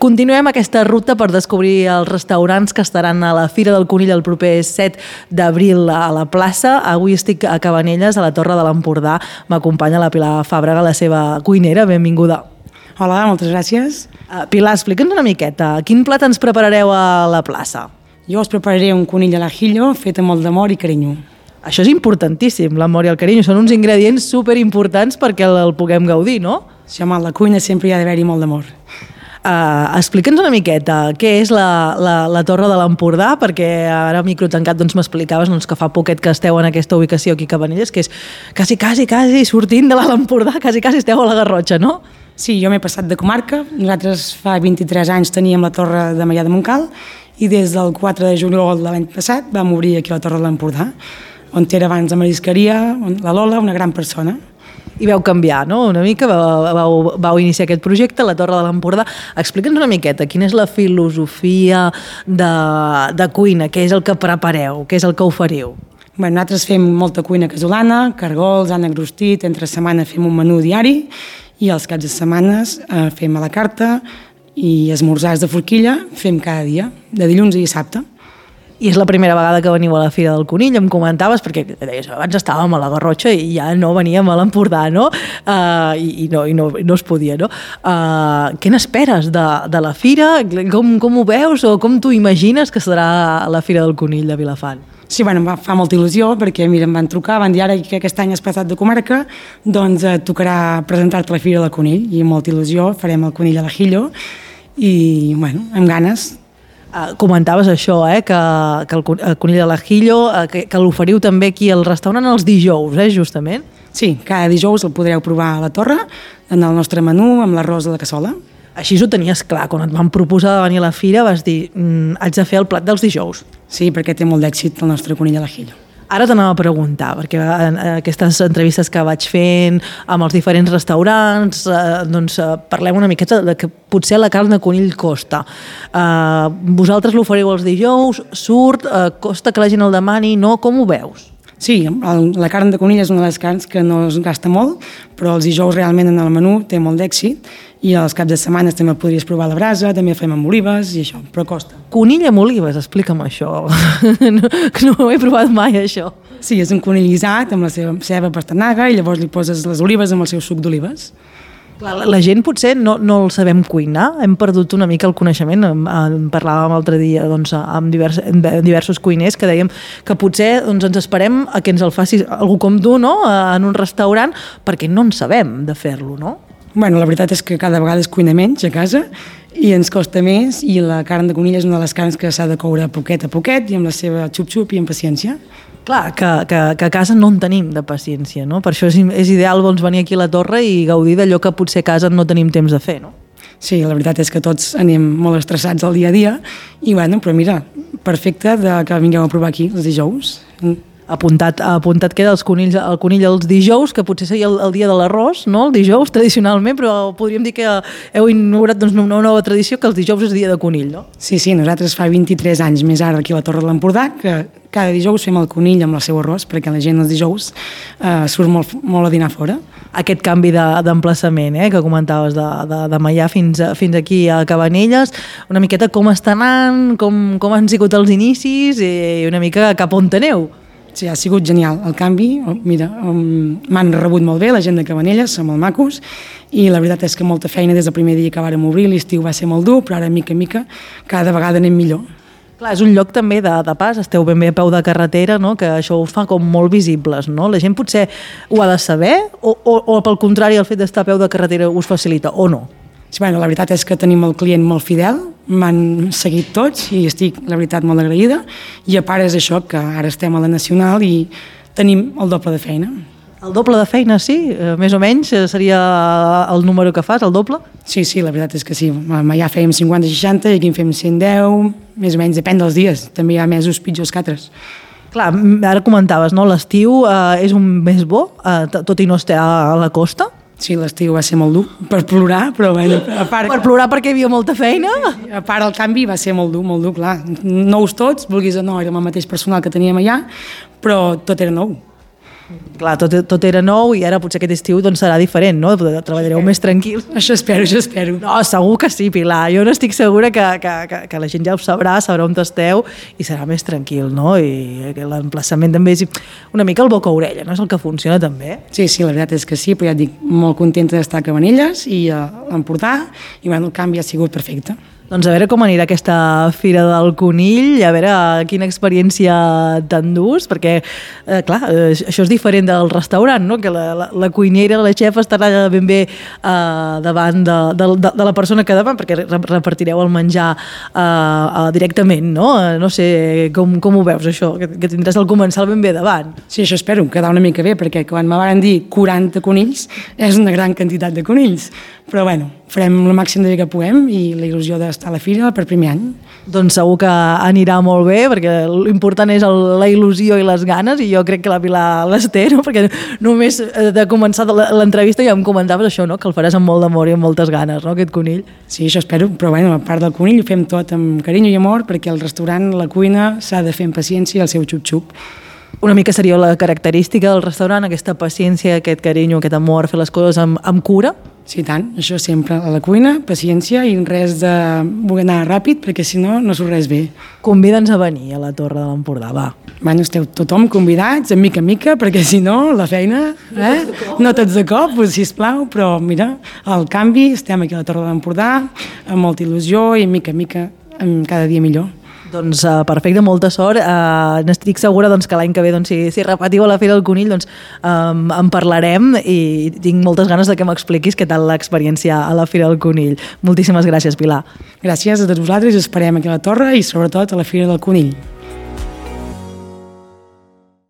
Continuem aquesta ruta per descobrir els restaurants que estaran a la Fira del Conill el proper 7 d'abril a la plaça. Avui estic a Cabanelles, a la Torre de l'Empordà. M'acompanya la Pilar Fàbrega, la seva cuinera. Benvinguda. Hola, moltes gràcies. Pilar, explica'ns una miqueta. Quin plat ens preparareu a la plaça? Jo us prepararé un conill al ajillo fet amb molt d'amor i carinyo. Això és importantíssim, l'amor i el carinyo. Són uns ingredients superimportants perquè el puguem gaudir, no? Si home, a la cuina sempre hi ha d'haver-hi molt d'amor. Explica'ns una miqueta què és la Torre de l'Empordà, perquè ara micro tancat doncs, m'explicaves que fa poquet que esteu en aquesta ubicació aquí a Cabanelles, que és quasi sortint de l'Empordà, quasi esteu a la Garrotxa, no? Sí, jo m'he passat de comarca. Nosaltres fa 23 anys teníem la Torre de Maià de Montcal i des del 4 de juliol de l'any passat vam obrir aquí la Torre de l'Empordà, on era abans la marisqueria, la Lola, una gran persona. I vau canviar, no? Una mica, vau iniciar aquest projecte, la Torre de l'Empordà. Explica'ns una miqueta, quina és la filosofia de cuina, què és el que prepareu, què és el que oferiu? Bé, nosaltres fem molta cuina casolana, cargols, ànec rostit, entre setmana fem un menú diari i els caps de setmanes fem a la carta i esmorzars de forquilla fem cada dia, de dilluns a dissabte. I és la primera vegada que veniu a la Fira del Conill, em comentaves, perquè deies, abans estàvem a la Garrotxa i ja no veníem a l'Empordà, no? I no es podia, no? Què n'esperes de la Fira? Com ho veus o com t'ho imagines que serà la Fira del Conill de Vilafant? Sí, bueno, em fa molta il·lusió perquè, mira, em van trucar, van dir ara que aquest any has passat de comarca, doncs tocarà presentar-te a la Fira del Conill i amb molta il·lusió farem el conill a l'ajillo i, bueno, amb ganes. Comentaves això, que el conill a l'ajillo, que l'oferiu també aquí al restaurant els dijous, justament? Sí, cada dijous el podreu provar a la Torre, en el nostre menú, amb l'arròs a la cassola. Així ho tenies clar, quan et van proposar de venir a la fira vas dir, haig de fer el plat dels dijous. Sí, perquè té molt d'èxit el nostre conill a l'ajillo. Ara t'anava a preguntar, perquè en aquestes entrevistes que vaig fent amb els diferents restaurants, parlem una miqueta de que potser la carn de conill costa. Vosaltres l'oferiu els dijous, costa que la gent el demani, no? Com ho veus? Sí, la carn de conill és una de les carns que no es gasta molt, però els dijous realment en el menú té molt d'èxit i els caps de setmana també el podries provar a la brasa, també fem amb olives i això, però costa. Conill amb olives, explica'm això. No ho he provat mai, això. Sí, és un conill guisat amb la seva ceba pastanaga i llavors li poses les olives amb el seu suc d'olives. La gent potser no el sabem cuinar, hem perdut una mica el coneixement, en parlàvem l'altre dia amb diversos cuiners que dèiem que potser ens esperem a que ens el faci algú com tu, no? En un restaurant, perquè no en sabem de fer-lo, no? Bueno, la veritat és que cada vegada es cuina menys a casa i ens costa més i la carn de conill és una de les carns que s'ha de coure a poquet i amb la seva xup-xup i amb paciència. Clar, que a casa no en tenim de paciència, no? Per això és ideal venir aquí a la Torre i gaudir d'allò que potser a casa no tenim temps de fer, no? Sí, la veritat és que tots anem molt estressats al dia a dia i bueno, però mira, perfecte que vingueu a provar aquí els dijous. Apuntat queda el conill els dijous, que potser seria el dia de l'arròs, no? El dijous, tradicionalment, però podríem dir que heu inaugurat una nova tradició que els dijous és dia de conill, no? Sí, nosaltres fa 23 anys més ara aquí a la Torre de l'Empordà, que cada dijous fem el conill amb el seu arròs, perquè la gent els dijous surt molt a dinar fora. Aquest canvi d'emplaçament que comentaves de Maià fins aquí a Cabanelles, una miqueta com està anant, com han sigut els inicis i una mica cap on aneu. Sí, ha sigut genial el canvi, mira, m'han rebut molt bé la gent de Cabanelles, són molt macos i la veritat és que molta feina des del primer dia que vàrem obrir, l'estiu va ser molt dur, però ara mica en mica cada vegada anem millor. Clar, és un lloc també de pas, esteu ben bé a peu de carretera, no? Que això ho fa com molt visibles, no? La gent potser ho ha de saber o pel contrari el fet d'estar a peu de carretera us facilita o no? Sí, bueno, la veritat és que tenim el client molt fidel, m'han seguit tots i estic, la veritat, molt agraïda i a part és això, que ara estem a la Nacional i tenim el doble de feina. El doble de feina, sí? Més o menys seria el número que fas, el doble? Sí, la veritat és que sí. Ja fèiem 50-60 i aquí en fem 110, més o menys, depèn dels dies. També hi ha mesos pitjors que altres. Clar, ara comentaves, no? L'estiu és un mes bo, tot i no estar a la costa? Sí, l'estiu va ser molt dur per plorar, però bueno, a part... Per plorar perquè hi havia molta feina? A part el canvi va ser molt dur, clar. Nous tots, vulguis o no, érem el mateix personal que teníem allà, però tot era nou. Clar, tot era nou i ara potser aquest estiu doncs, serà diferent, no? Treballareu més tranquils. Això espero. No, segur que sí, Pilar. Jo no estic segura que la gent ja ho sabrà on esteu i serà més tranquil, no? I l'emplaçament també és una mica el boca-orella, no? És el que funciona també. Sí, la veritat és que sí, però ja et dic, molt contenta d'estar a Cabanelles i a l'Empordà, i bueno, el canvi ha sigut perfecte. Doncs a veure com anirà aquesta Fira del Conill, a veure quina experiència t'endús, perquè, clar, això és diferent del restaurant, no? Que la cuinera, la xef estarà ben bé davant de la persona que davant, perquè repartireu el menjar directament, no? No sé com ho veus, això, que tindràs el comensal ben bé davant. Sí, això espero, quedar una mica bé, perquè quan me van dir 40 conills, és una gran quantitat de conills, però bueno, farem el màxim de bé que puguem i la il·lusió d'estar a la fira per primer any. Doncs segur que anirà molt bé, perquè l'important és la il·lusió i les ganes, i jo crec que la Pilar les té, no? Perquè només de començar l'entrevista ja em comentaves això, no? Que el faràs amb molt d'amor i amb moltes ganes, no? Aquest conill. Sí, això espero, però bueno, a part del conill ho fem tot amb carinyo i amor, perquè el restaurant, la cuina, s'ha de fer amb paciència i el seu xup-xup. Una mica seria la característica del restaurant, aquesta paciència, aquest carinyo, aquest amor, fer les coses amb cura? Sí, tant, això sempre a la cuina, paciència i res de voler anar ràpid, perquè si no, no surt res bé. Convida'ns a venir a la Torre de l'Empordà, va. Bueno, esteu tothom convidats, de mica en mica, perquè si no, la feina, no tots de cop, doncs, sisplau, però mira, al canvi, estem aquí a la Torre de l'Empordà, amb molta il·lusió i mica en mica, cada dia millor. Doncs perfecte, molta sort. N'estic segura doncs, que l'any que ve, doncs, si repetiu a la Fira del Conill, doncs, en parlarem i tinc moltes ganes de que m'expliquis què tal l'experiència a la Fira del Conill. Moltíssimes gràcies, Pilar. Gràcies a tots vosaltres, esperem aquí a la Torre i sobretot a la Fira del Conill.